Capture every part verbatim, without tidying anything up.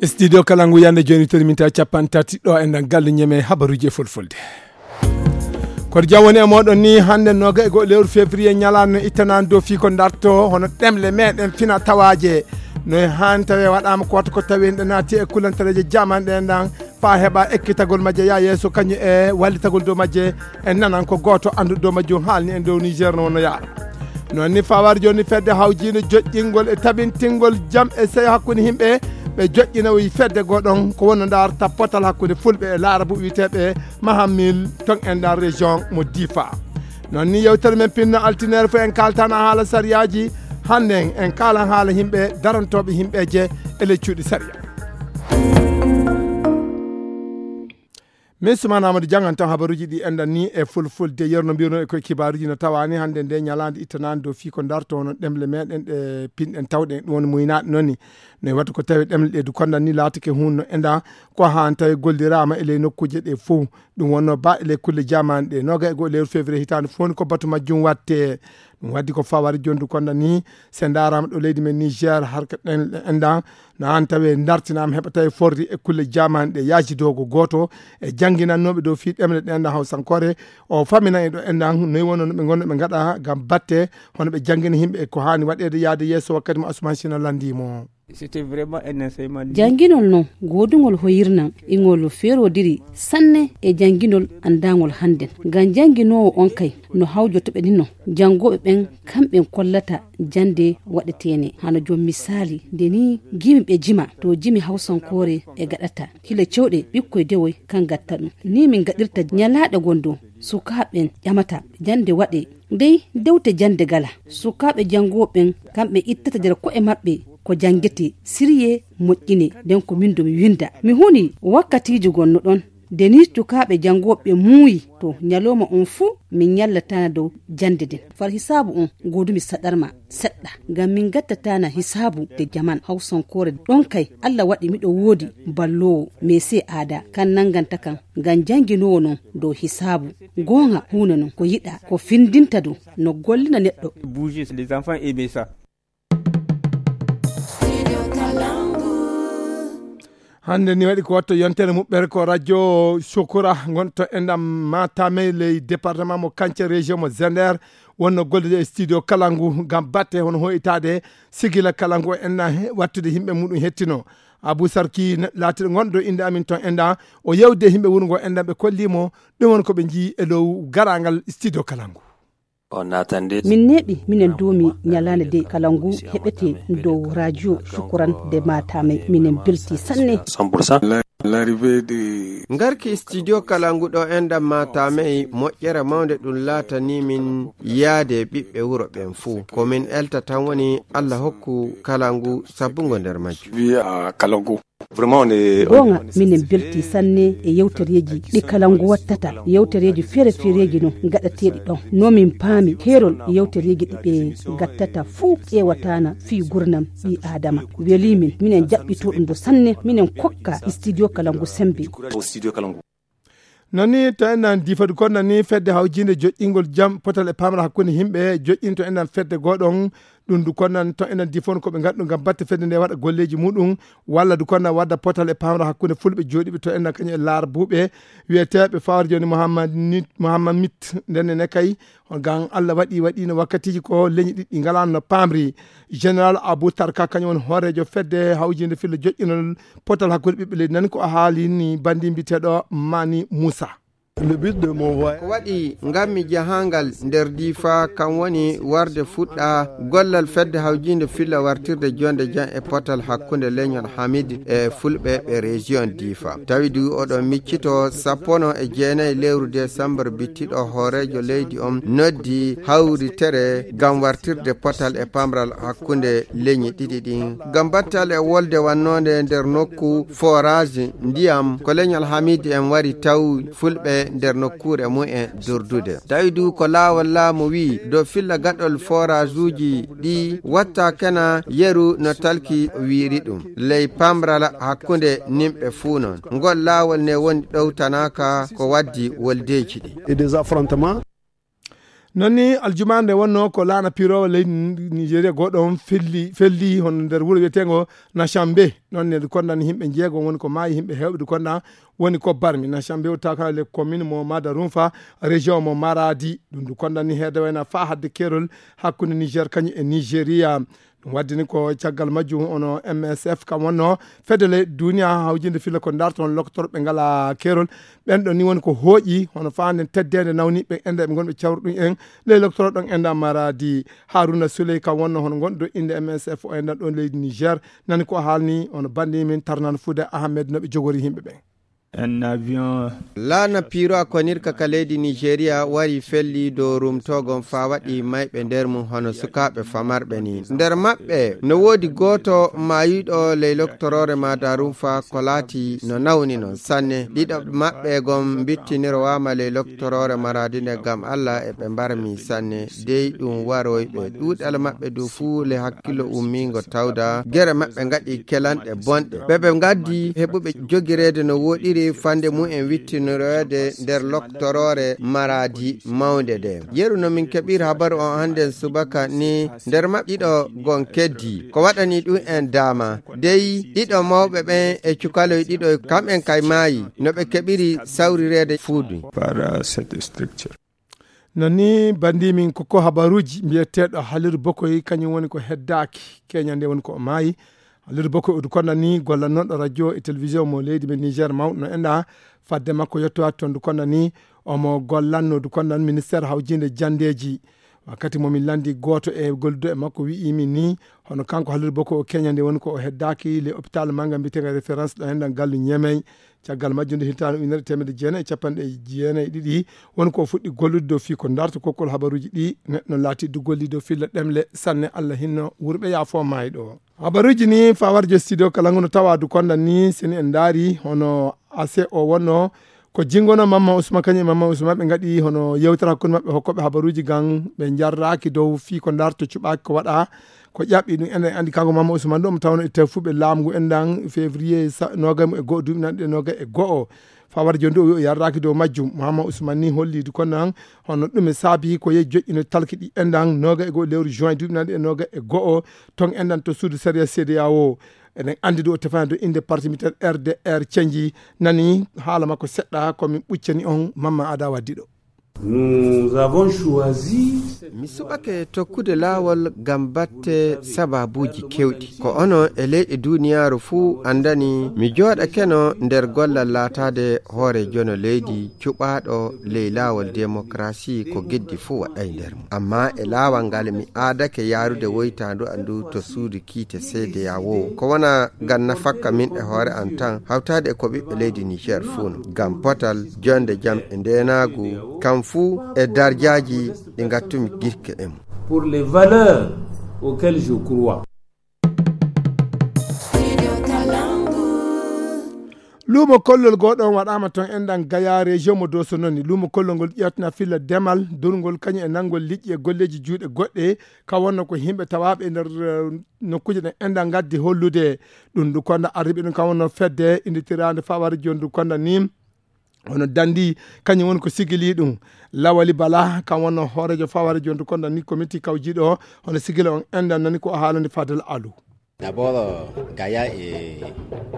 Studio kala ngu yande joni tori min tawi capanɗe tati ɗo e nder galle ñeme habaruji e fulfulde. Koto jam woni e moɗon ni hande noga e goho lewru février ñalano ittanani dow fii ko darto hono ɗemle meɗen fina tawaje. No e hani tawi waɗama ko wata ko tawi en ɗe naati e kulantareje jaman ɗe ndan fa heɓa ekkitagol majje ya yeeso kañum e wallitagol dow majje. En nanan ko goto anduɗo dow majjum haalni en dow Niger no wonno yaara. Noon ni fawar joni fedde hawjinde joƴƴingol e tabintingol jam e seyo hakkunde yimɓe ɓe joƴƴina o yi fedde goɗon ko wonno ndar tappotal hakkunde fulɓe e laarabu wiyeteɓe mahamil ton en ndar région mo difa. Noon ni yewtere men pinno altinere fof en kaltana haala sariyaji. Hannden en kalan haala yimɓe darantoɓe yimɓeje e ley cuuɗi sariya. Min Suman Amadou jangan tan habaruji ɗi enɗan ni e fulfulde yerno mbirno e koye kibaruji no tawani hannde nde ñalande ittanani dow fii ko darto hono ɗemle meɗen ɗe pinɗen tawɗen ɗum woni muynaɗe noon ni. No e wattu ko tawi ɗemle ɗe du kondan ni laatake hunde no enɗa ko han tawi gollirama e ley nokkuje ɗe fof. Ɗum wonno ba e ley kulle jamani ɗe noga e goho lewru février hitande fof ni ko batu majjum watte. Ɗum waddi ko fawari jondu konda ni se darama ɗo leydi men Niger harka ɗen enɗa. No an tawi dartinama heɓa tawi forri e kulle jamani ɗe yajidogo goto e jannginannooɓe dow fii ɗemle ɗen hawsankore. O famina e ɗo enɗan noyi wonno no ɓe gonno ɓe gaɗa ngam batte hono ɓe janngina yimɓe e ko hani waɗede yaade yeeso wakkati mo Asuman Sina landimo. Janginol non godugol hoyirnan ingol ferodiri sanne e janginol andagol hannden. Ngam janginoowo on kay no hawjotoɓe ni non janngooɓe ɓen kamɓen kollata jannde waɗeteene hano joom misaali nde ni gimi ɓe jima to jimi hawsankoore e gaɗata hila cewɗe ɓikkoy dewoy kan gatta ɗum ni min gaɗirta ñalaaɗe gon dow sukaaɓe ɓen ƴamata jannde waɗe ndey dewte jannde gala sukaaɓe janngooɓe ɓen kamɓe ittata nder ko'e maɓɓe ko janngete sirye moƴƴine nden ko min do mi winda mi huni wakkatiiji gonno ɗon nde ni cukaaɓe janngooɓe muuyi to ñalooma on fuu min ñallatana dow jannde nden far hisaabu on godumi saɗarma seɗɗa ngam min ngattatana hisaabu de jaman hawsankoore ɗon kay allah waɗi miɗo woodi balloowo mese aada kan nannganta kan ngam jannginoowo non dow hisaabu goonga huunde non ko yiɗa ko findinta dow no gollina neɗɗo. Hannde ni waɗi ko watto yontere muɓɓere ko radio sukura gonto e ndam matame ley département mo kance région mo zender wonno gollude e studio kala ngu ngam batte hono hoytade sigila kala ngu o enna wattude yimɓe muɗum hettino. Abou sarki laatiɗo gonɗo innde amin ton enda o yewde yimɓe wuro ngo enda ɓe kollimo ɗum won ko ɓe njii e dow garangal studio kala ngu. Min neeɓi minen duumi ñalaande de kala ngu heɓete dow radio sukuran de matame minen belti sanne. Ngarki studio kala ngu ɗo enɗam matame moƴƴere mawnde ɗum laatani min yaade ɓiɓɓe wuro ɓen fuu ko min elta tan woni allah hokku kala ngu sabbungo nder majjum. Goonga minen belti sanne e yewtereeji ɗi kala ngu wattata yewtereeji feere-feereeji no gaɗateeɗi ɗon no min paami heerol yewtereeji ɗi ɓe gattata fuu ƴeewataana fii gurnam ɓii aadama welii min minen jaɓɓitoo ɗum ɗo sanne minen kokka studio kala ngu semmbe. Noon ni to enɗan difadu kon noon ni fedde hawjinde joƴƴingol jam potal e pamra hakkunde yimɓe joƴƴinto enɗan fedde goɗon. Ɗum du konnan to enɗan difon ko ɓe ngaddu ngam batte fedde nde waɗa golleji muɗum walla du konnan wadda potal e pamra hakkunde fulɓe joɗiɓe to enɗan kañum e laara buuɓe wiyeteɓe fawar joni mouhammad mit ndenne ne kay. Ngam allah waɗi waɗino wakkatiji ko leñi ɗiɗɗi ngalano no pamri. Général abou tarka kañum woni hoorejo fedde hawjinde filla joƴƴinol potal hakkunde ɓiɓɓe leydi nan ko o haalini bandi mbiteɗo mani moussa. Ko waɗi ngammi jahangal nder difa kam woni warde fuɗɗa gollal fedde hawjinde filla wartirde jonde jam e potal hakkunde leñol hamid e fulɓe ɓe région difa tawi du oɗon miccito sappono e jeenayi lewru décembre bittiɗo hoorejo leydi on noddi hawritere ngam wartirde potal e pamral hakkunde leñi ɗiɗi ɗin ngam battal e wolde wannode nder nokku forage ndiyam ko leñol hamid en wari taw fulɓe nder nokkuure mumen durdude tawi du ko laawol laamu wi dow filla gaɗol forage uji ɗi watta kena yeru no talki wiiri ɗum ley pamral hakkunde nimɓe fuu non ngol laawol ne woni ɗowtanaka ko waddi woldeji ɗi. Noon ni aljumaa nde wonnoo ko laana piiroowo leydi Nigeria gooto on felli, felli hono nder wuro wiyeteengo Nashambe. Noon ne ndu kondani yimɓe njeego woni ko maayi, yimɓe heewɓe ndu konda woni ko barmi. Nashambe o tawa kala le commune mo Madarunfa, région mo Maradi. Ɗum ndu kondani heede wayna faa hadde keerol hakkunde Niger kañum e Nigeria. Ɗum waddini ko caggal majjum ono M S F kam wonno fedde ley duniya hawjinde filla ko darto on loktorɓe ngala keerol. Ɓen ɗon ni woni ko hooƴi hono faanden teddeende nawni ɓe enda ɓe ngonɓe cawru ɗum en ley loktoro ɗon enda Maradi. Haruna Souley kam wonno hono ngonɗo innde M S F o enda ɗon leydi Niger. Nani ko haalni hono bandi min Tarnan Fude Ahmed no ɓe jogori yimɓe ɓen. Un avion. Laana piiro a konirka ka leydi Nigeria wari felli dow rumtogon faa waɗi mayɓe nder mum hono sukaaɓe famarɓe ni. Nder maɓɓe no woodi gooto maayiɗo ley loktoroore Madarunfa ko laati no nawni non sanne. Ɗiɗo maɓɓe gon mbittinirowaama ley loktoroore Maradi nde ngam Allah e ɓe mbarmi sanne. Dey ɗum waroy ɓe. Ɗuuɗal maɓɓe du fuu le hakkillo ummiingo tawda. Gere maɓɓe ngaɗi kelanɗe bonɗe. Ɓe ɓe ngaddi heɓuɓe jogireede no woɗiri fande mum en wittinoreede nder loktoroore Maradi mawnde nde. Yeru no min keɓiri habaru on hannden subaka ni nder maɓɓe ɗiɗo gon keddi. Ko waɗani ɗum en daama. Dey ɗiɗo mawɓe ɓen e cukaloy ɗiɗo kamɓen kay maayi no ɓe keɓiri sawrireede fuudu. Par, euh, cette structure. Noon ni, banndi min ko, ko habaruuji mbiyeteeɗo Haliru Bokoy, kañum woni ko heddaaki. Keñande woni ko o maayi. Haliru Bokoy o du konda ni gollannooɗo radio e télévision mo leydi men Niger mawɗo no enɗa. Fadde makko yettowaade toon du konda ni omo gollanno du konda ministère hawjinde janndeeji. Wakkati mo min lanndi gooto e golludo e makko wi'i min ni hono kanko Haliru Bokoy o keñande woni ko o heddaaki le hôpital manga mbiyeteenga référence ɗo enɗan gallu Ñemey. Caggal majjum nde hitaande ujunere teemedde jeenayi e capanɗe jeenayi e ɗiɗi, woni ko o fuɗɗi gollude dow fii ko darto kokkol habaruuji ɗi, neɗɗo laati du golli dow filla ɗemle sanne Allah hinno wurɓe yaafo maayɗo. Habaruuji ni faa warjo studio kala ngu no tawa du konda ni seni en ndaari hono ase o wonno ko jingono Mamma Usman kañum e Mamma Usman ɓe ngaɗi hono yewtere hakkunde maɓɓe hokkooɓe habaruuji gan ɓe njarraaki dow fii ko darto cuɓaaki ko waɗa. Ko ƴaɓɓi ɗum enen anndi kanko Mama Ousmane ɗo mo tawno e tefuɓe laamu ngu enɗan février sa-, noogay mo e go'o duuɓi nanɗe noogay e go'o. Fawar jooni ɗo o wi o yarraaki dow majjum. Mama Ousmane ni holli du konnan hono ɗum e saabi ko yehi joƴƴino talki ɗi enɗan noogay e go'o lewru juin duuɓi nanɗe e noogay e go'o ton enɗan to suudu sariya C D A O. Eɗen anndi du o tefani dow innde parti militaire R D R cenji nani haala makko seɗɗa ko min ɓuccani on Mama Ada Waddi ɗo. Nous avons choisi cette Mi suɓake tokkude laawol ngam batte sababuuji keewɗi. Ko onon e leyɗe duuniyaaru fuu anndani mi jooɗakeno nder gollal laataade hooreejono leydi cuɓaaɗo ley laawol demokarasi ko geddi fuu waɗay nder mum. Ammaa e laawol ngal mi aadake yaarude woytaandu an ndu to suudu kiite C D A O. Ko wona ngam nafakka min e hoore am tan, hawtaade e ko ɓiɓɓe leydi Niger fuu no. Ngam potal, jonde jam e ndeenaagu, kam fuu e darjaaji ɗi ngattumi girke e mum. Pour les valeurs auxquelles je crois. Luumo kollol gooɗo on waɗaama toon enɗan Gaya, région mo Doso noni. Luumo kollol ngol ƴeewtana filla demal, durngol, kañum e nanngol liƴƴi e golleeji juuɗe goɗɗe, ka wonno ko yimɓe tawaaɓe e nder, eh, nokkuuje ɗen enɗan ngaddi hollude. Ɗum ndu konda arriɓe ɗum ka wonno fedde innditiraande faware jooni ndu konda ni. Hono Dandi, kañum woni ko sigili ɗum. Lawali Bala, kam wonno hooreejo faware jooni ndu konda ni komiti kawjiiɗo, hono sigili on enɗan nani ko o haalani Fadel Alu. D'abord, euh, Gaïa est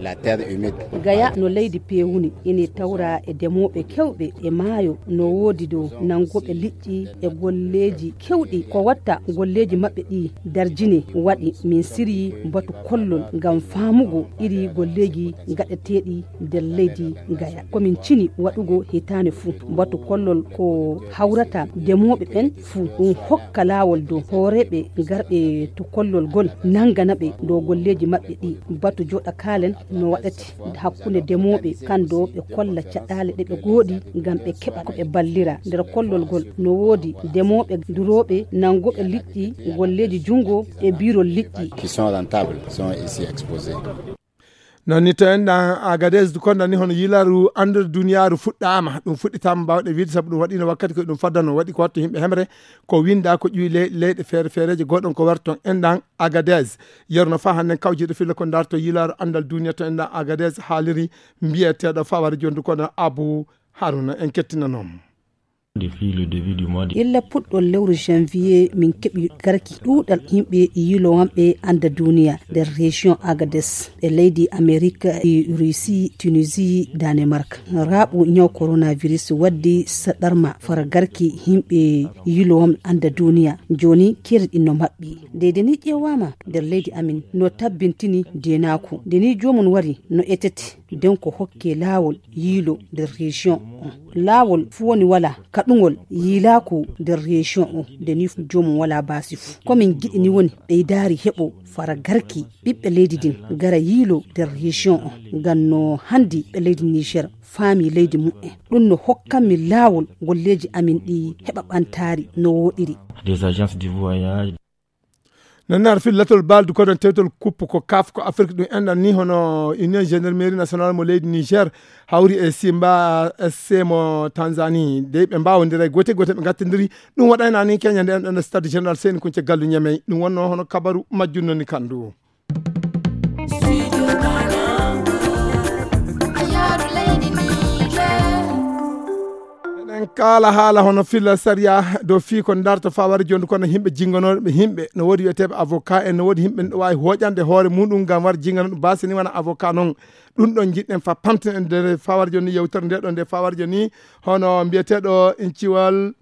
la terre humide. Gaya no leydi peewuni, ene tawra e demooɓe kewɓe e maayo, no woodi dow nanngooɓe liƴƴi e golleeji kewɗi. Ko watta golleeji maɓɓe ɗi darjini, waɗi min siryi batu kollol ngam faamugo iri golleeji gaɗeteeɗi nder leydi Gaya. Ko min cini waɗugo hitaande fuu. Batu kollol ko hawrata demooɓe ɓen fuu. Ɗum hokka laawol dow hooreeɓe garɓe to kollol gol, nanngana ɓe dow golleeji maɓɓe ɗi. Batu joɗa kaalen no waɗati hakkunde demooɓe kan dow ɓe kolla caɗaale ɗe ɓe gooɗi ngam ɓe keɓa ko ɓe ballira. Nder kollol gol no woodi demooɓe durooɓe nanngooɓe liƴƴi, golleeji junngo e biirol liƴƴi. Qui sont rentables sont ici exposés. Noon ni to enɗan Agadez du konda ni hono yilaru anndere duniyaaru fuɗɗaama. Ɗum fuɗɗitaama mbaawɗe wiide sabu ɗum waɗiino wakkati ko ɗum faddano waɗi ko watta yimɓe hemre ko winnda ko ƴuwi ley-, leyɗe feere feereeje gooɗon ko warton enɗan Agadez. Yeru no faa hannden kawjiiɗo filla ko darto yilaru anndal duniya to enɗan Agadez haaliri mbiyeteeɗo faware jooni du konda Abu Haruna en kettinanoo mo. Depuis le début du mois de illa puɗɗol lewru janvier, min keɓi garki ɗuuɗal yimɓe yiilowanɓe annda duniya nder région Agadez. Ɓe leydi Amerique e Russie, Tunisie, Danemark. Raaɓu ñaw coronavirus waddi saɗarma fara garki yimɓe yiilowanɓe annda duniya. Jooni keeri ɗin no maɓɓi. Nde de ni ƴeewaama nder leydi amin no tabbintini deenaaku. Nde ni joomum wari no etete, nden ko hokke laawol yiilo nder région on. Laawol fuu woni wala kaɗungol yiilaaku nder région on. Nde ni joomum wala baasi fuu. Ko min giɗi ni woni ɓeydaari heɓo fara garki ɓiɓɓe leydi din gara yiilo nder région on. Ngam no handi ɓe leydi Niger faami leydi mumen. Ɗum no hokkanmi laawol golleeji amin ɗi heɓa ɓantaari no wooɗiri. Des agences de voyage. Nannar fil latol baldu kodon tewtol kuppu ko kaf ko Afrique ɗum enɗan ni hono Union Gendarmerie Nationale mo leydi Niger hawri e Simba S C mo Tanzanie de ɓe mbawondira e gote gote ɓe gattindiri. Ɗum waɗayna ni Kenya nde enɗan stade général Seyni Kunce Gallu Ñamey. Ɗum wonno hono kabaru majjum noni kandu. Eɗen kaala haala hono filla sariya dow fii ko darto fawari jonde kono yimɓe jingonooɓe yimɓe no woodi wiyeteeɓe avocat en no woodi yimɓe no waawi hooƴande hoore muɗum ngam war jingano ɗum basini wona avocat noon. Ɗum ɗon jiɗɗen fa pamten e nder fawari joni yewtere nde ɗo nde fawari joni hono mbiyeteeɗo inciwal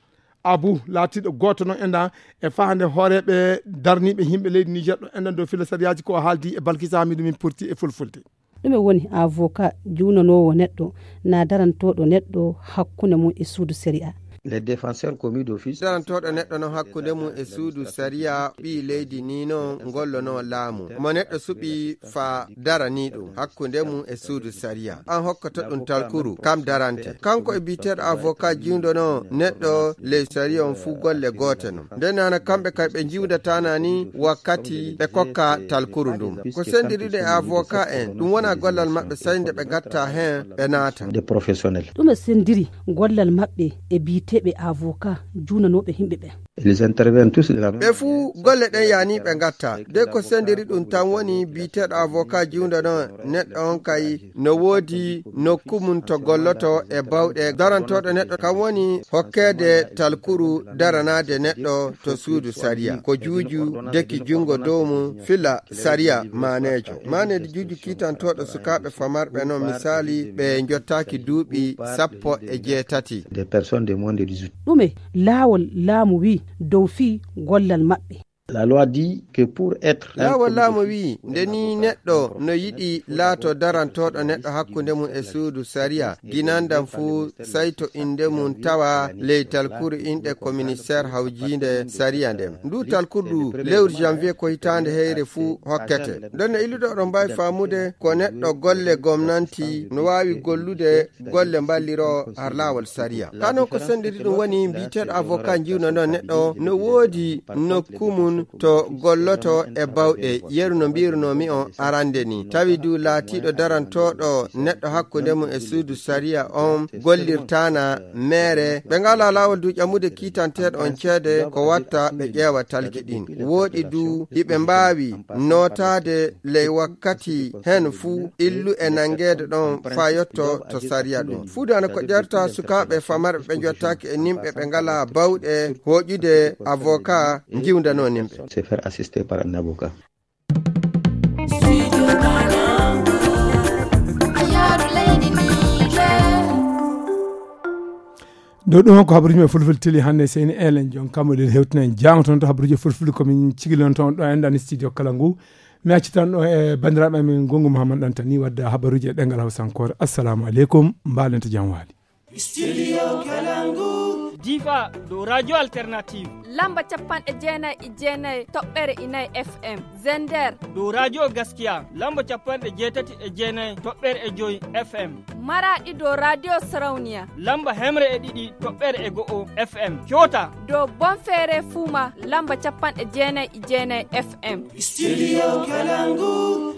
Abu laatiiɗo gooto noon enɗan e fahande hooreeɓe darniiɓe yimɓe leydi Niger ɗo enɗan dow filla sariyaaji ko o haaldi e Balkisa Hamidu min porti e fulfulde. Ɗume woni avocat juunanoowo neɗɗo na darantooɗo neɗɗo hakkunde mum e suudu sariya? Les défenseurs commis d'office. Darantooɗo neɗɗo noon hakkunde mum e suudu sariya ɓii leydi ni noon ngollono laamu mo neɗɗo suɓi fa darani ɗum hakkunde mum e suudu sariya. An hokkoto ɗum talkuru kam darante. Kanko e biyeteeɗo avocat jiwdono neɗɗo ley sariya on fuu golle goote non. Nden nana kamɓe kay ɓe jiwdatana ni wakkati ɓe kokka talkuru ndum. Ko sendiriɗo e avocat en ɗum wona gollal maɓɓe sey nde ɓe gatta heen ɓe naata. Des professionnels. Ɗum e sendiri gollal maɓɓe e biyeteeɓe avocat juunanooɓe yimɓe ɓen. Ils interviennent tous de la même. Ɓe fuu golle ɗen yaani ɓe ngatta de ko sendiri ɗum tan woni biyeteeɗo avocat jiwda ɗon neɗɗo on kay no woodi nokku mum to golloto e bawɗe darantooɗo neɗɗo kam woni hokkeede talkuru daranaade neɗɗo to suudu sariya ko juuju deki junngo dow mum fila sariya maaneejo maaneejo juuju kiitantooɗo sukaaɓe famarɓe non misaali ɓe njottaaki duuɓi sappo e jeetati. Des personnes de moins de dix-huit. Ɗume laawol laamu wi dow fii gollal maɓɓe? La loi dit que pour être un laawol laamu wi nde ni neɗɗo no yiɗi laato darantooɗo neɗɗo hakkunde mum e suudu sariya ginandan fuu sayto innde mum tawa ley talkuru inɗe ko ministeer hawjiinde sariya nden ndu talkurdu lewru janvier ko hitaande heyre fuu hokkete. Nden no illuɗo oɗon mbaawi faamude ko neɗɗo golle gomnanti no waawi gollude golle mballiroo har laawol sariya. Kaa noon ko senndiri ɗum woni mbiyeteeɗo avocat njiwno noon neɗɗo no woodi nokku mum to golloto e bawɗe yeru no mbiyrunomi on arande ni tawi du laatiiɗo darantooɗo neɗɗo hakkunde mum e suudu sariya on gollirtaana meere ɓe ngalaa laawol du ƴamude kiitanteeɗo on ceede ko watta ɓe ƴeewa talki ɗin wooɗi du iɓe mbaawi nootaade ley wakkati heen fuu illu e nanngeede ɗon faa yotto to sariya ɗum fuudu ana ko ƴerta sukaaɓe famarɓe ɓe njottaaki e nimɓe ɓe ngalaa bawɗe hooƴude avocat njiwdanoo nimɓe. Se faire assister par un avocat. Ɗo ɗum ko habaruji men fulfulde teli hannde seyni elen jon kammo ɗen hewtinen jaama toon to habaruji fulfulde komin cigilon toon ɗo enɗan studio kala ngu mi accitan ɗo e bandiraɓe amen gongu mouhammad ɗantani wadda habaruji e ɗengal hawsankore assalamu aleykum mbalenta jam waali. Studio Kalangu. Difa ɗo radio alternative. Lamba capanɗe jeenayi e jeenayi toɓɓere inayi F M. Zender. Ɗo radio Gaskiya. Lamba capanɗe jeetati e jeenayi toɓɓere e joyi F M. Maraɗi ɗo radio Sarauniya. Lamba hemre e ɗiɗi toɓɓere e go'o F M. Coota. Ɗo Bonfere Fuma. Lamba capanɗe jeenayi e jeenayi F M. Studio Kalangu.